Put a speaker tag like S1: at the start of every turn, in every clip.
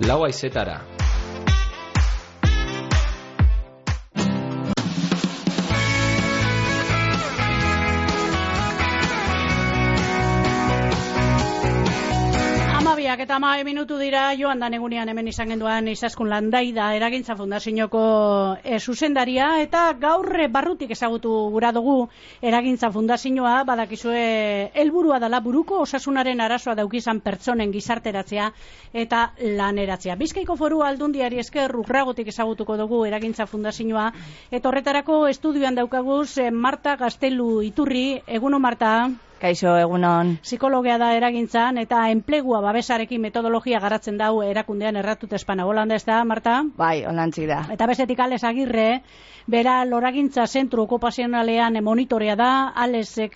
S1: lau haizetara.
S2: Eta 10 minutu dira joan dan egunean hemen izan genduan Izaskun Landaida Eragintza Fundazioko zuzendaria, eta gaur barrutik ezagutu gura dugu Eragintza Fundazioa. Badakizue helburua dela buruko osasunaren arazoa daukizan pertsonen gizarteratzea eta laneratzea. Bizkaiko Foru Aldundiari esker urragotik ezagutuko dugu Eragintza Fundazioa, eta horretarako estudioan daukaguz Marta Gaztelu Iturri. Egunon, Marta.
S3: Kaixo, egunon.
S2: Psikologia da Eragintzan eta enplegua babesarekin metodologia garatzen dau erakundean erratut espana. Holanda ez da, Marta?
S3: Bai, holantzik da.
S2: Eta bestetik Ales Agirre, bera Loragintza Zentru Okupazionalean monitorea da. Alesek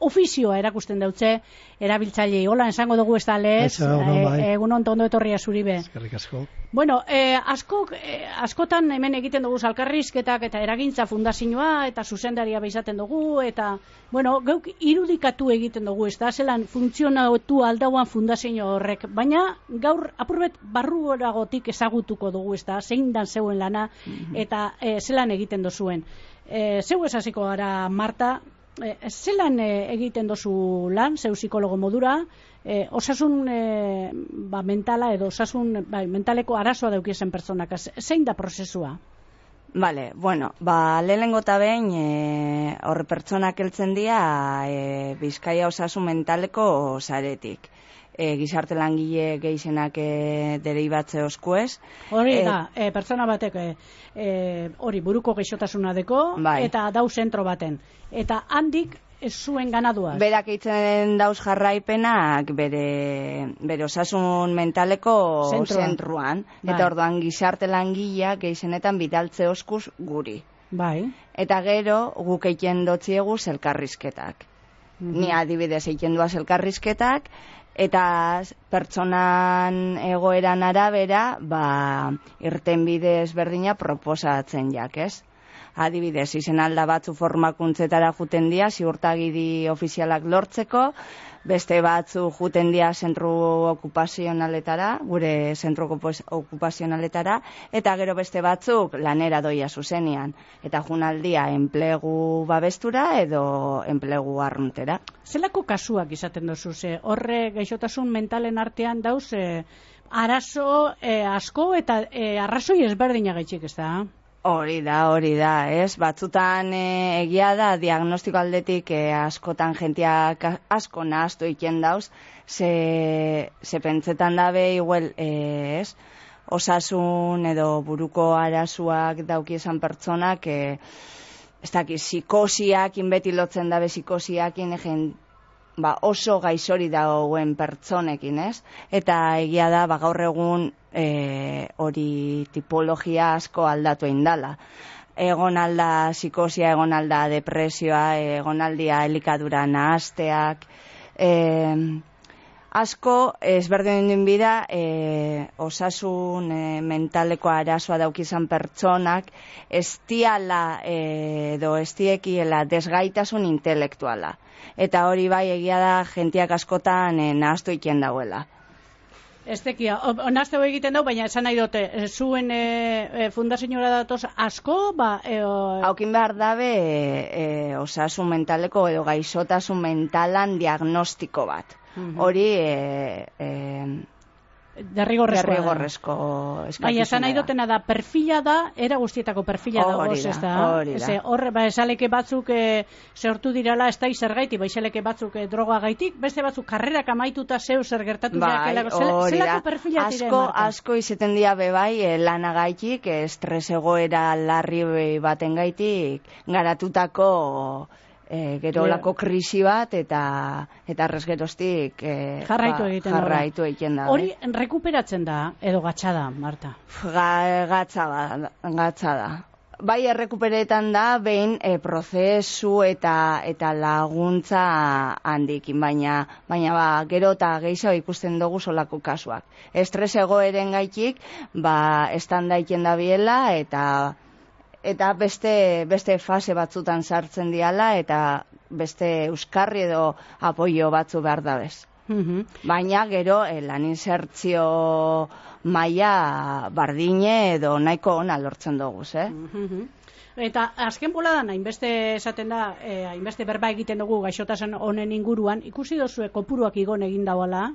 S2: ofizioa erakusten dautze erabiltzailei. Hola, esango dugu ez da, Ales? Egunon, tondo etorria zuribe.
S4: Eskerrik asko.
S2: Bueno, askotan hemen egiten dugu elkarrizketak eta Eragintza Fundazioa eta zuzendaria izaten dugu, eta bueno, geuk irudikatu egiten dugu, ez da, zelan funtzionatu aldauan fundazio horrek, baina gaur apurbet barruagotik ezagutuko dugu, ez da, zein dan zeuen lana eta zelan egiten dozuen. Zeu esaziko gara, Marta, zelan egiten dozu lan, zeu psikologo modura, osasun mentala edo osasun mentaleko arazoa daukiezen pertsonak, zein da prozesua?
S3: Vale, bueno, lehenengo eta behin horre pertsonak heltzen dira Bizkaia osasun mentaleko saretik. Gizarte langile gehienak deribatze oskuez.
S2: Hori da, pertsona batek hori buruko gaixotasuna deko, bai. Eta dau zentro baten. Eta handik ez zuen ganaduaz.
S3: Berak eitzen dauz jarraipenak bere osasun mentaleko zentruan. Bai. Eta orduan gizarte langileak gehienetan bidaltze oskuz guri.
S2: Bai.
S3: Eta gero guk egiten dotziegu elkarrizketak. Ni adibidez egiten duaz elkarrizketak, eta pertsonan egoeran arabera, irtenbide ezberdina proposatzen jak, ez? Adibidez, izen alda batzu formakuntzetara juten dira, ziurtagiri ofizialak lortzeko, beste batzu juten dira zentru okupazionaletara, gure zentru okupazionaletara, eta gero beste batzuk lanera doia zuzenian, eta junaldia enplegu babestura edo enplegu arruntera.
S2: Zelako kasuak izaten dozu, horre gaixotasun mentalen artean dauz arazo asko eta arrazoi ezberdina gaitxik, ez da?
S3: Hori da, ez? Batzutan egia da, diagnostiko aldetik askotan jentiak asko nahaztu iken dauz, ze pentsetan dabe, igual, ez? Osasun edo buruko arazoak daukiezan pertsonak, ez daki, psikosiak, inbeti lotzen dabe psikosiakin, oso gaixori dagoen pertsonekin, ez? Eta egia da, gaur egun hori tipologia asko aldatu indala. Egon alda psikosia, egon alda depresioa, egon aldia elikadura nahazteak, asko ezberdin bida osasun mentaleko arazoa daukizan pertsonak ez diala edo ez diekiela desgaitasun intelektuala. Eta hori bai egia da jentiak askotan nahaztu iken dauela.
S2: Ez tekia, nahazteu egiten dau, baina esan nahi dute, zuen fundazioa datoz asko,
S3: haukin behar dabe osasun mentaleko edo gaixotasun mentalan diagnostiko bat. Hori derrigorrezko eskakizuna.
S2: Baina esan nahi dutena da, perfila da, era guztietako perfila da, ez da?
S3: Hori da.
S2: Horre, esaleke batzuk zehortu dirala, ez da izergaiti, esaleke batzuk droga gaitik, beste batzuk karrerak amaituta zeu zer gertatu diakelako. Zelako perfila diren, Marta?
S3: Asko izeten dia bebai lana gaitik, estres egoera larri baten gaitik, garatutako gerolako krisi bat eta errezgeroztik jarraitu egiten da.
S2: Hori rekuperatzen da edo gatsa da, Marta?
S3: Gatsa da. Bai errekuperetan da, behin prozesu eta laguntza handikin, baina gero eta gehiago ikusten dugu solako kasuak. Estres egoeren gaitik, estanda iken da biela eta beste fase batzutan sartzen diala eta beste euskarri edo apoio batzu behar dabez. Baina gero lan insertzio maila bardine edo nahiko ona lortzen dugu,
S2: Eta azken boladan, hainbeste esaten da, hainbeste berba egiten dugu gaixotasun honen inguruan, ikusi dozue kopuruak igon egin dauala?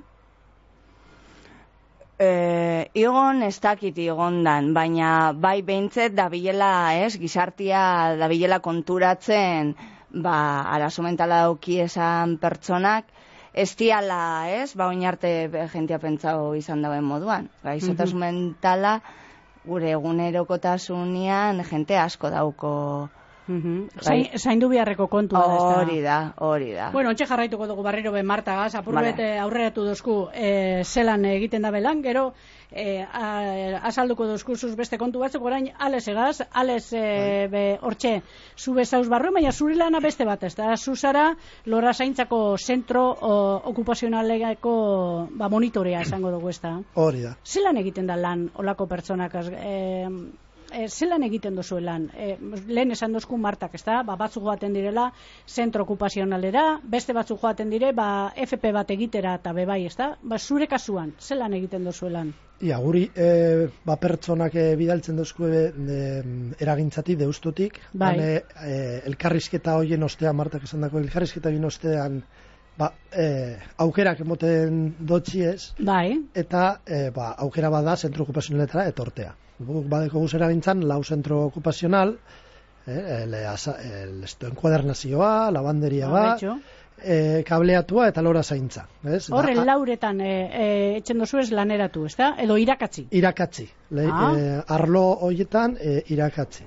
S3: Igon ez dakit igondan, baina bai behintzet dabilela, gizartia dabilela konturatzen, arazo mentala dauki esan pertsonak, ez diala, oin arte jentia pentsau izan dauen moduan. Gaixotasun mentala, gure egunerokotasunean jente asko dauko.
S2: Zaindu biharreko kontua da.
S3: Hori da.
S2: Bueno, ontxe jarraituko dugu barriro ben Martagaz, apurbet aurreratu dozku zelan egiten da belan, gero azalduko dozkuzuz beste kontu batzuk, orain ales egaz, ales hortxe zube zauz barru, baina zure lana beste bat, ez da, zuzara lora zaintzako zentro okupazionaleko monitorea esango dugu, ez da.
S1: Hori da.
S2: Zelan egiten da lan olako pertsonak, zelan egiten duzu lan? Lehen esan dozku Martak, ez da? Batzuk joaten direla zentro okupazionalera, beste batzuk joaten dire, FP bat egitera eta bebai, ez da? Zure kasuan, zelan egiten duzu lan?
S1: Ia, guri pertsonak bidaltzen dozku eragintzatik, deustutik, elkarrizketa hoien ostean, Martak esan dako, elkarrizketa hoien ostean aukerak emoten dotxiez, eta aukera bada zentro okupazionaletara etortea. Badeko guz eragintzan, lau zentro okupazional, enkuadernazioa, lavanderia kableatua eta lora zaintza.
S2: Horren lauretan etxen dozu ez laneratu, ez da? Edo irakatzi?
S1: Irakatzi. Arlo horietan irakatzi.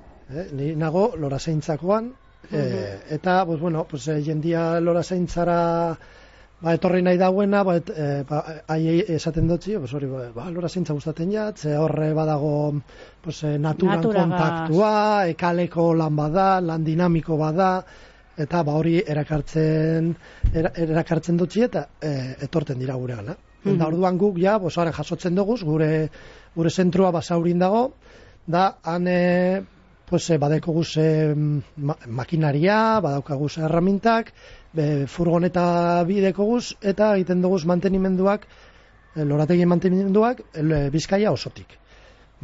S1: Ni nago lora zaintzakoan, eta, jendia lora zaintzara etorri nahi dauena, aiei esaten dutzi, lora zaintza gustaten jat, ze horre badago naturan kontaktua, kaleko lan bada, lan dinamiko bada, eta hori erakartzen dutzi eta etorten dira gure gana. Eta orduan guk jasotzen dugu, gure zentrua basaurin dago, da han badeko guz makinaria, badaukaguz erramintak, furgoneta bideko guz, eta egiten dugu mantenimenduak, lorategien mantenimenduak, Bizkaia osotik.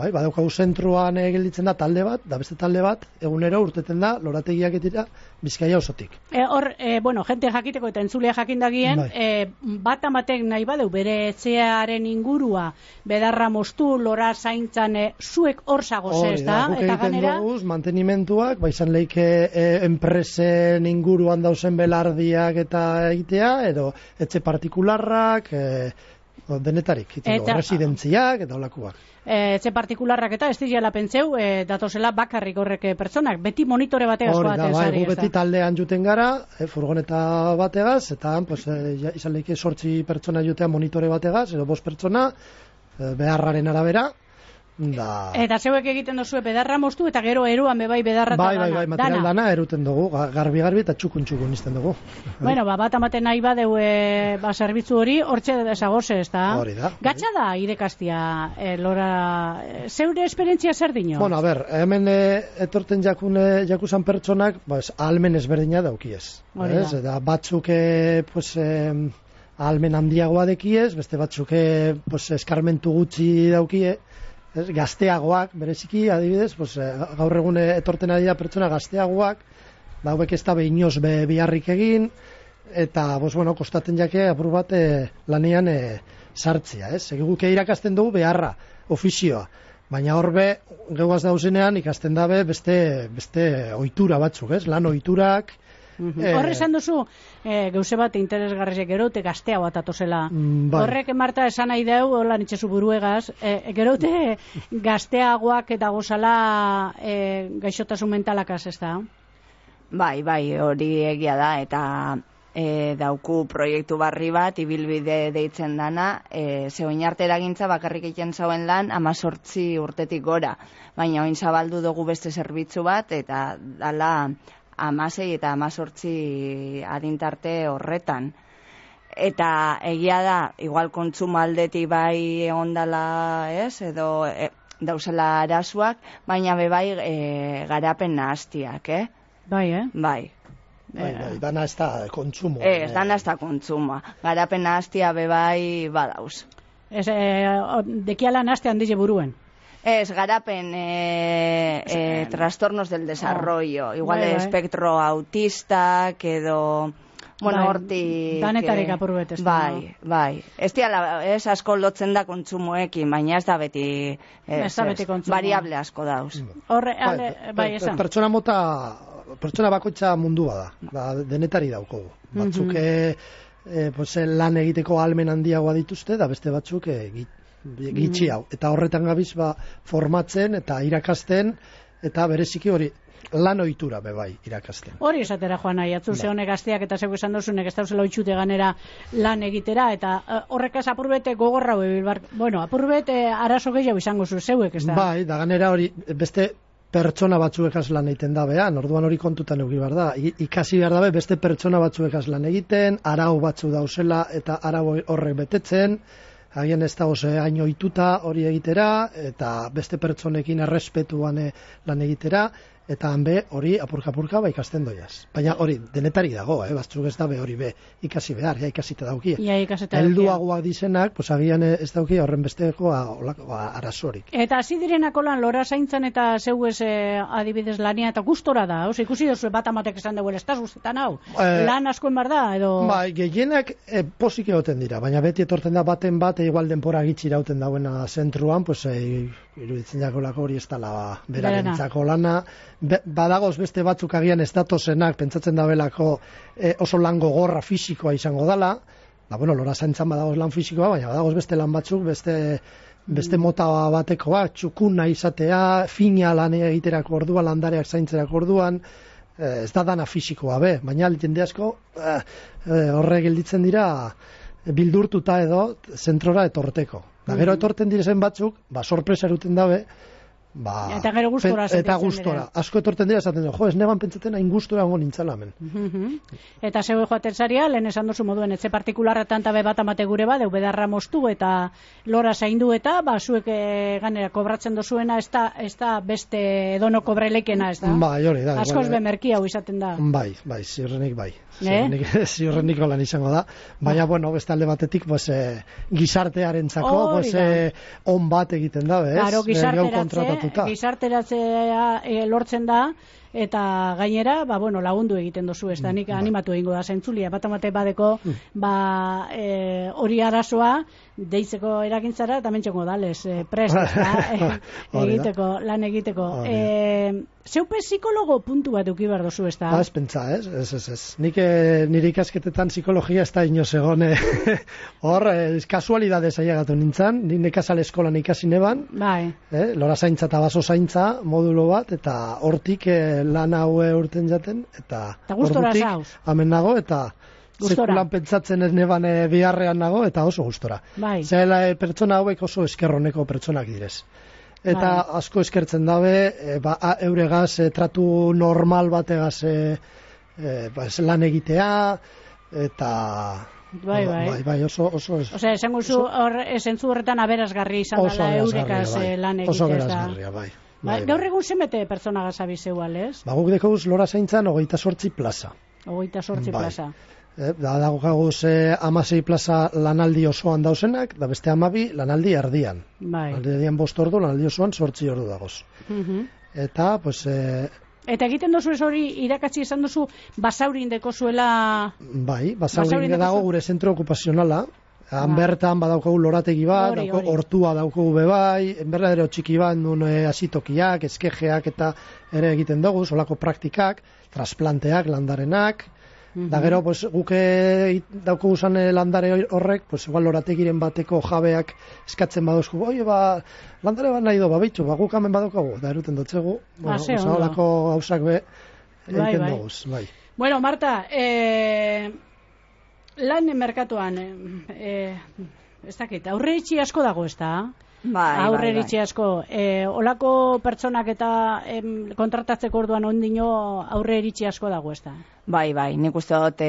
S1: Badaukagu zentruan gelditzen da talde bat, da beste talde bat, egunero urteten da lorategiak etira Bizkaia osotik.
S2: Jente jakiteko eta entzulea jakindagien, bat amatek nahi badeu bere etxearen ingurua, bedarra moztu, lora zaintzan, zuek hor zagoz ez da?
S1: Guk egiten dugu, mantenimentuak, izan leike enpresen inguruan dauzen belardiak eta egitea, edo etxe partikularrak, denetarik, residentziak eta olakuak.
S2: Etxe partikularrak eta ez dira pentseu, datozela bakarrik horrek pertsonak, beti monitore bategaz joaten zari.
S1: Beti taldean juten gara, furgoneta bategaz, eta izan lehike 8 pertsona jutean monitore bategaz, edo 5 pertsona, beharraren arabera.
S2: Eta zeuek egiten dozue bedarra moztu, eta gero eruan bebai bedarra eta dana.
S1: Bai, material dana eruten dugu, garbi eta txukun izten dugu.
S2: Bat amaten nahi badeu zerbitzu hori, hortxe desagoze, ez da?
S1: Hori da.
S2: Gatsa da irekastia, Lora, zeure esperientzia zer dino?
S1: Hemen etorten jakuzan pertsonak, ahalmen ezberdina daukiez. Eta batzuk ahalmen handiagoa dekiez, beste batzuk eskarmentu gutxi daukie, gazteagoak, bereziki, adibidez, gaur egun etorten ari da pertsona gazteagoak, hauek ez da behinoz biharrik egin, eta, kostaten jake, apur bat lanean sartzea, Guk irakasten dugu beharra, ofizioa, baina horbe, geuaz dauzenean, ikasten dabe beste ohitura batzuk, lan ohiturak.
S2: Horre esan duzu, gauze bat interesgarriak gerote gaztea bat atozela. Horrek, Marta, esan nahi deu, hola nitxezu buruegaz, gerote gazteagoak eta gozala gaixotasun mentalakaz, ez da?
S3: Bai, hori egia da, eta dauku proiektu barri bat, ibilbide deitzen dana, zeoin arte eragintza bakarrik egiten zauen lan 18 urtetik gora, baina oin zabaldu dugu beste zerbitzu bat, eta dala 16 eta 18 adintarte horretan. Eta egia da, igual kontsumo aldetik bai egondala, edo dauzela arazuak, baina bebai garapen nahastiak,
S2: Bai,
S3: Bai.
S1: Bai, dana ez da kontsumo.
S3: Ez, dana ez da kontsumoa. Garapena hastia bebai badauz.
S2: Ez, dekiala naste handize buruen.
S3: Ez, garapen trastornos del desarrollo. Igual espectro autista, edo... Bueno, hortik...
S2: Danetarik apurbet, ez
S3: da. Bai. Ez asko lotzen da kontsumoekin, baina ez da beti...
S2: Ez da beti kontsumo.
S3: Variable asko dauz.
S2: Bai, esan.
S1: Pertsona bakoitza mundua da, denetari daukogu. Batzuk lan egiteko ahalmen handiagoa dituzte, da beste batzuk gitxi hau. Eta horretan gabiz formatzen eta irakasten, eta bereziki hori lan ohitura bebai irakasten.
S2: Hori esatera joan nahi, ze honek gazteak eta zeu esan dozunek ez dauzela oitxute ganera lan egitera, eta horrekaz apurbete gogorra apurbet arazo gehiago izango zeuek, ez da?
S1: Bai, da ganera hori beste pertsona batzuekaz lan egiten da behan, orduan hori kontutan euki behar da. Ikasi behar da beste pertsona batzuekaz lan egiten, arau batzu dauzela eta arau horrek betetzen, agian ez da hain ohituta hori egitera, eta beste pertsonekin errespetuan lan egitera, eta hanbe hori apurka-apurka ikasten doiaz. Baina hori denetari dago, batzuk ez dabe hori ikasi behar, ikasita daukie. Helduagoak dizenak, agian ez daukie horren besteko arazorik.
S2: Eta hasi direnako lan lora zaintzan eta zeu ez adibidez lania eta gustora da, ikusi dozu bat amatek esan dugu, ez da guztetan hau, lan askoen bar da, edo...
S1: Bai, gehienak posik egoten dira, baina beti etorten da baten bat, igual denpora gitxi irauten dauena zentruan, iruditzen jako lako hori ez dala berarentzako lana. Badagoz beste batzuk agian ez datozenak, pentsatzen dabelako oso lan gogorra fisikoa izango dala, lora zaintzan badagoz lan fisikoa, baina badagoz beste lan batzuk, beste mota batekoa, txukuna izatea, fina lan egiterako orduan, landareak zaintzerako orduan, ez da dana fisikoa baina jende asko horre gelditzen dira bildurtuta edo zentrora etorteko. Gero etorten direzen batzuk, sorpresa eruten dabe,
S2: eta gero gustora
S1: asko etorten dira esaten du, ez neban pentsaten hain gustora ongo nintzala hemen.
S2: Eta zeu joaten zaria, lehen esan duzu moduen etxe partikularretan tabe bat amate gure ba, deu bedarra moztu eta lora zaindu eta zuek ganera kobratzen dozuena ez da beste edono kobrelekena, ez da?
S1: Bai, hori da.
S2: Askoz bemerki hau izaten da.
S1: Bai, ziurrenik bai. Ziurreniko lan izango da. Baina, beste alde batetik gizartearentzako on bat egiten da, ez?
S2: Claro, gizarteratzea lortzen da, eta gainera, lagundu egiten dozu, ez da, nik animatu egingo da zentzulia, bat amate badeko, hori arazoa, deitzeko eragintzara, eta mentxongo dalez, prest, lan egiteko. Zeupe psikologo puntu bat euki behar dozu, ez da?
S1: Ez pentsa, ez. Nik nire ikasketetan psikologia ez da inoz egon, hor, kasualidadez ailegatu nintzen, nik nekazal eskolan ikasi neban, lora zaintza eta baso zaintza, modulo bat, eta hortik lan haue urten jaten, eta
S2: hortik
S1: hemen nago, eta sekulan pentsatzen ez neban biharrean nago, eta oso gustora. Zela pertsona hauek oso eskerroneko pertsonak direz. Eta asko eskertzen dabe, euregaz tratu normal bategaz lan egitea, eta... Bai, oso...
S2: Osea, esango zu, esentzu horretan aberasgarri izan dela euregaz lan egitea.
S1: Oso aberasgarria, bai.
S2: Gaur egun zenbete pertsona gazabizeu, alez?
S1: Guk dekoz lora zaintzan 28 plaza.
S2: 28 plaza.
S1: Dago gaguz 16 plaza lanaldi osoan dauzenak, da beste 12 lanaldi erdian. Lanaldi erdian 5 ordu, lanaldi osoan 8 ordu dagoz. Eta,
S2: Eta egiten dozu ez hori irakatsi esan duzu basaurin deko zuela...
S1: Bai, basaurin dago gure zentro okupazionala. Han bertan badaukagu lorategi bat, hortua daukagu bebai, enberdadero txiki bat, nun asitokiak, eskejeak eta ere egiten dugu, solako praktikak, trasplanteak, landarenak, da gero, guke daukagu zan landare horrek, igual lorategiren bateko jabeak eskatzen baduzku, landare bat nahi do, bitxu, guk hemen badaukagu, da eruten dotzegu, solako gauzak egiten dugu, bai.
S2: Bueno, Marta, lan merkatuan, ez dakit, aurre itxi asko dago, ez da? Aurre itxi asko. Olako pertsonak eta kontratatzeko orduan ondino aurre itxi asko dago, ez da?
S3: Bai, nik uste dut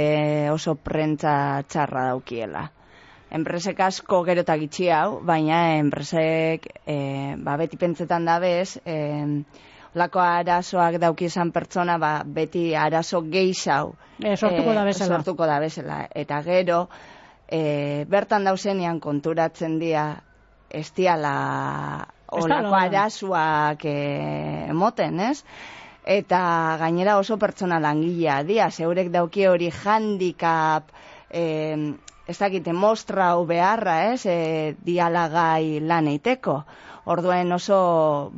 S3: oso prentza txarra daukiela. Enpresek asko gerota gitxi hau, baina enpresek beti pentsetan dabez, lako arazoak dauki izan pertsona, beti arazo gehiago sortuko da bezala. Eta gero, bertan dauzenean konturatzen dira, ez diala olako arazoak emoten, ez? Eta gainera oso pertsona langilea dia, zeurek dauki hori handicap, ez dakite mostrau beharra, ez? Dialagai lan eiteko. Orduen oso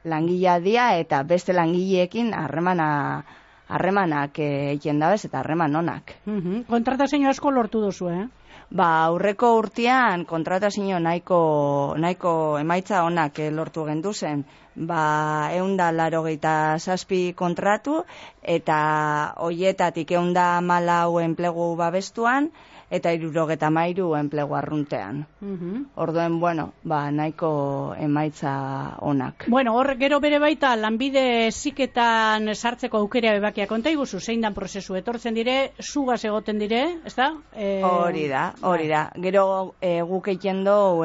S3: langilea dia eta beste langileekin harremanak egiten dabez eta harreman onak.
S2: Kontratazio asko lortu duzu,
S3: Aurreko urtean kontratazio nahiko emaitza onak lortu genduzen. 187 kontratu eta hoietatik 114 enplegu babestuan eta 73 enplegu arruntean. Orduen, nahiko emaitza onak.
S2: Hor gero bere baita lanbide heziketan sartzeko aukera bebakia konta iguzu, zein dan prozesu etortzen dire, zugaz egoten dire, ezta?
S3: Hori da. Gero guk egiten du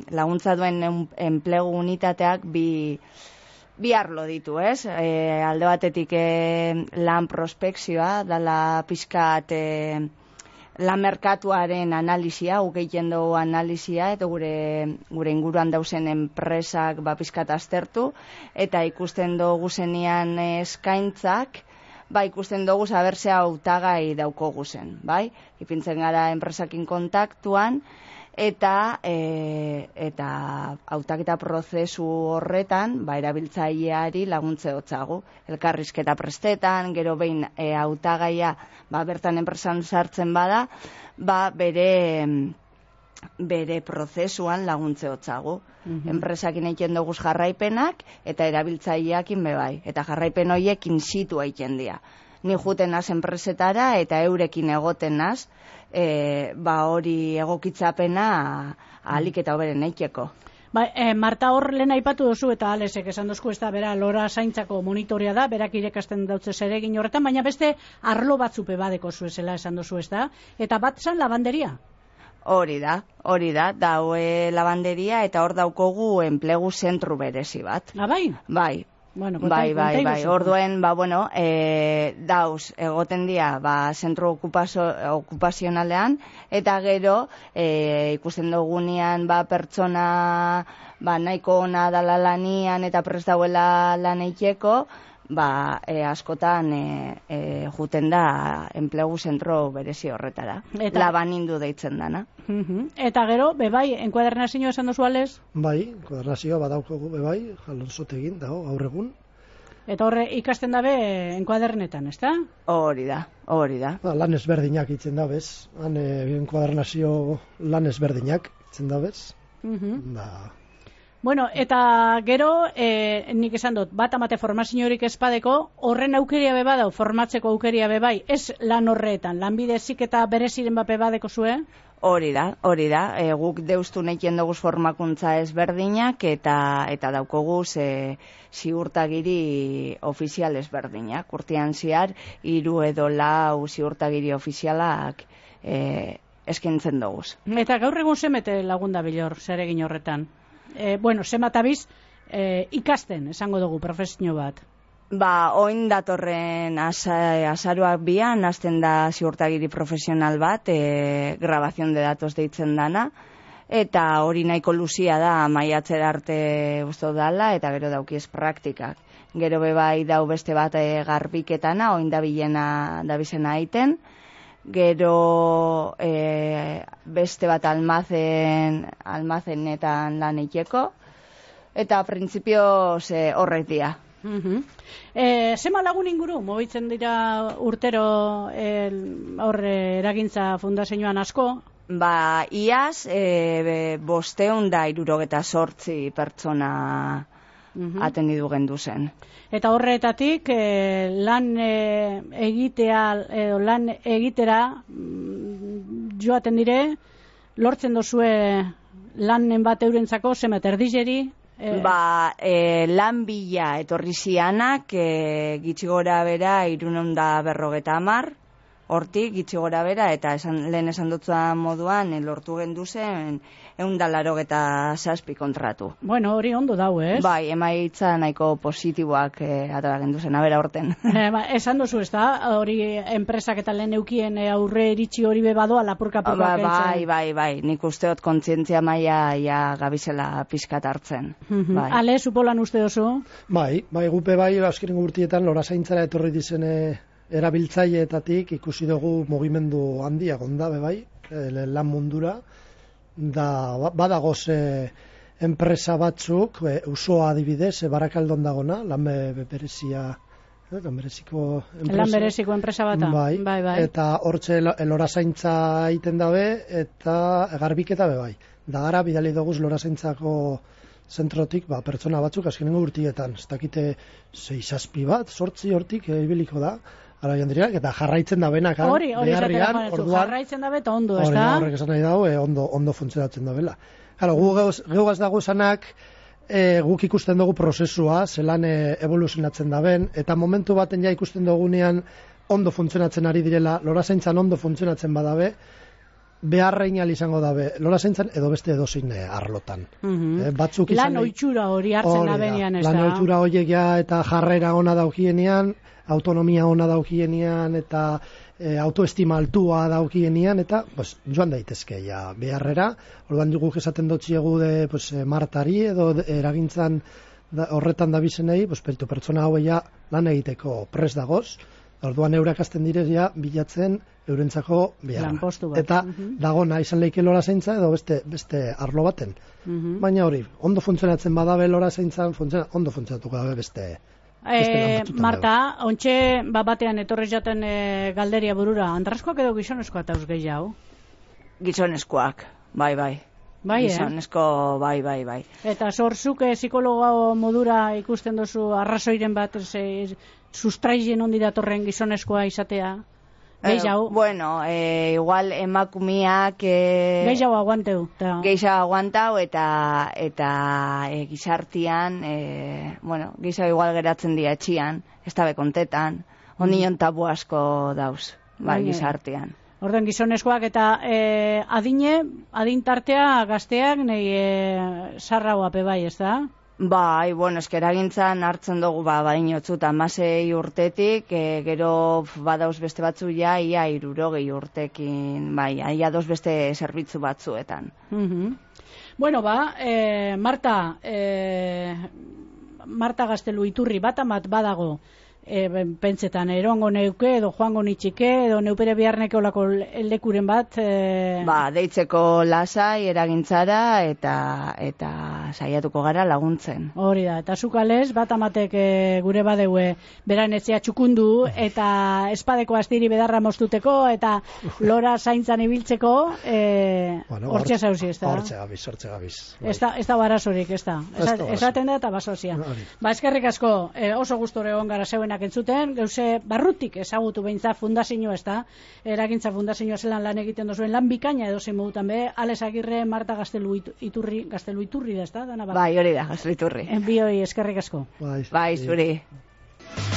S3: laguntza duen enplegu unitateak bi arlo ditu, ez? Alde batetik lan prospekzioa, dala pizkat lan merkatuaren analizia, guk egiten dugu analizia, eta gure inguruan dauzen enpresak pizkat aztertu, eta ikusten dugu zenian eskaintzak, ikusten dugu zabertzea hautagai daukogu zen, bai? Ipintzen gara enpresakin kontaktuan, eta hautaketa prozesu horretan, erabiltzaileari laguntze hotzagu. Elkarrizketa prestetan, gero behin hautagaia bertan enpresan sartzen bada, bere prozesuan laguntze hotzagu. Enpresakin egiten dugu jarraipenak eta erabiltzaileakin bebai. Eta jarraipen horiek in situ egiten dira. Ni juten naz enpresetara eta eurekin egoten naz, hori egokitzapena ahalik eta hoberen eiteko.
S2: Marta, hor lehen aipatu duzu eta Alesek esan duzku, ez da, bera lora zaintzako monitorea da, berak irekasten dautze zeregin horretan, baina beste arlo batzupe badeko zuezela esan duzu, ez da? Eta bat zan lavanderia?
S3: Hori da, daue lavanderia eta hor daukogu enplegu zentru berezi bat.
S2: Bai?
S3: Bai. Orduen, dauz egoten dira, zentro okupazionalean, eta gero ikusten dugunean pertsona nahiko ona dala lanian eta prest dauela lan eiteko, askotan juten da enplegu zentro berezi horretara. Labanindu deitzen dana.
S2: Eta gero, bebai, enkuadernazioa esan duzu Ales?
S1: Bai, enkuadernazioa badaukogu bebai, jalonzotegin dago gaur egun.
S2: Eta horre ikasten dabe enkuadernetan, ez da?
S3: Hori da.
S1: Lan ezberdinak itzen dabez, enkuadernazio lan ezberdinak itzen dabez.
S2: Eta gero, nik esan dut, bat amate formazio horik espadeko, horren aukeria bebadau, formatzeko aukeria bebai, ez lan horretan, lanbide heziketa bereziren bape badeko zue?
S3: Hori da, guk deustu nekien dugu formakuntza ezberdinak eta daukogu ziurtagiri ofizial ezberdinak. Urtean ziar, 3 edo 4 ziurtagiri ofizialak eskintzen dugu.
S2: Eta gaur egun zemete lagunda bilor, zeregin horretan? Zematabiz ikasten, esango dugu, profesio bat.
S3: Oin datorren azaroak bian, hasten da ziurtagiri profesional bat, grabazion de datos deitzen dana, eta hori nahiko luzia da, maiatzera arte usto dala, eta gero daukiez praktikak. Gero bebai dau beste bat garbiketana, oin dabizena aiten, gero beste bat almazenetan lan eiteko, eta printzipio horrek dia.
S2: Zema lagun inguru, mobitzen dira urtero eragintza fundazioan asko?
S3: Iaz, 578 pertsona atendidu gendu zen.
S2: Eta horretatik lan egitera joaten dire, lortzen dozue lanen bat eurentzako, zemet erdizeri?
S3: Lan bila etorri zianak, gitxi gora bera 350, hortik gitxi gora bera, eta lehen esan dutza moduan, lortu gendu zen 187 kontratu.
S2: Bueno, hori ondo dau, ez?
S3: Bai, emaitza nahiko positiboak atara gendu zen, abera horten.
S2: Esan duzu, ez da? Hori enpresak eta lehen eukien aurre iritsi hori bebadoa lapurka-purka
S3: Bai, nik usteot kontzientzia maila ja gabizela pixkat hartzen.
S2: Ale, supolan uste oso?
S1: Bai, gupe azkenengo urtietan lorazaintzara etorri dizen erabiltzaileetatik ikusi dugu mugimendu handia gonda, bai, lan mundura, da badagoz enpresa batzuk, usoa adibidez, Barakaldon dagona, lan bereziko
S2: enpresa bata.
S1: Bai. Eta hortxe lorazaintza egiten dabe, eta garbiketa bai. Da gara, bidali doguz lorazaintzako zentrotik, pertsona batzuk azkenengo urtietan, ez dakite 6-7 bat, 8 hortik ibiliko da, ara jandiriak, eta jarraitzen da benak,
S2: hori jarraitzen da beta ondo, ez da?
S1: Horrek esan nahi dago, ondo funtzionatzen da bela. Geugaz dago zanak, guk ikusten dugu prozesua, zelan evoluzionatzen da ben, eta momentu baten ja ikusten dugunean ondo funtzionatzen ari direla, lorazaintzan ondo funtzionatzen badabe, beharrein izango dabe, lorazaintzan edo beste edozein arlotan.
S2: Lan oitxura hori hartzen da benean, ez da?
S1: Lan oitxura horiek eta jarrera ona daukienean, autonomia ona daukienean, eta autoestima altua daukienean, eta joan daitezke beharrera. Orduan guk esaten dotziegu Martari edo eragintzan horretan dabizenei, pertsona hauei lan egiteko pres dagoz, orduan eurak hasten direzia bilatzen eurentzako beharra. Eta dagona izan leike lorazaintza edo beste arlo baten. Baina hori, ondo funtzionatzen badabe lorazaintzan, ondo funtzionatuko dabe beste
S2: Marta, ontxe batean etorri jaten galderia burura, andraskoak edo gizonezkoak eta gehiago?
S3: Gizonezkoak, bai. Gizonezko, bai.
S2: Eta zorzuk psikologo modura ikusten duzu arrazoiren bat sustraien ondi datorren gizonezkoa izatea? Gehiago?
S3: Bueno, igual emakumiak
S2: gehiago aguanteu.
S3: Gehiago aguantau eta gizartian, gehiago igual geratzen dira etxian, ez dabe kontetan, ondino tabu asko dauz, gizartian.
S2: Orden gizonezkoak eta adintartea gazteak nahi sarragoape bai, ez da?
S3: Bai, eskeragintzan hartzen dugu badinotzut 16 urtetik, gero badauz beste batzu ia 60 urtekin, ia doz beste zerbitzu batzuetan.
S2: Bueno, Marta Gaztelu Iturri bat amat badago, pentsetan, erongo neuke edo joango nitxike edo neupere beharneke olako lekuren bat
S3: deitzeko lasai eragintzara eta saiatuko gara laguntzen.
S2: Hori da, eta zukales bat amatek gure badeue beran etzea txukundu eta espadeko astiri bedarra mostuteko eta lora zaintzan ibiltzeko hortxe zauzi, ez da?
S1: Hortxe gabiz.
S2: Ez da barazorik, ez da? Esaten da eta basozia. Eskerrik asko, oso gustore egon gara zeuenak entzuten, geuse barrutik ezagutu beintza fundazioa, ez da? Eragintza fundazioa zelan lan egiten duzuen lan bikaina edo zein modutan be, Ales Agirre, Marta Gaztelu Iturri da, ez da?
S3: Bai, hori da, Gaztelu Iturri.
S2: Bioi eskerrik asko.
S3: Bai, zuri.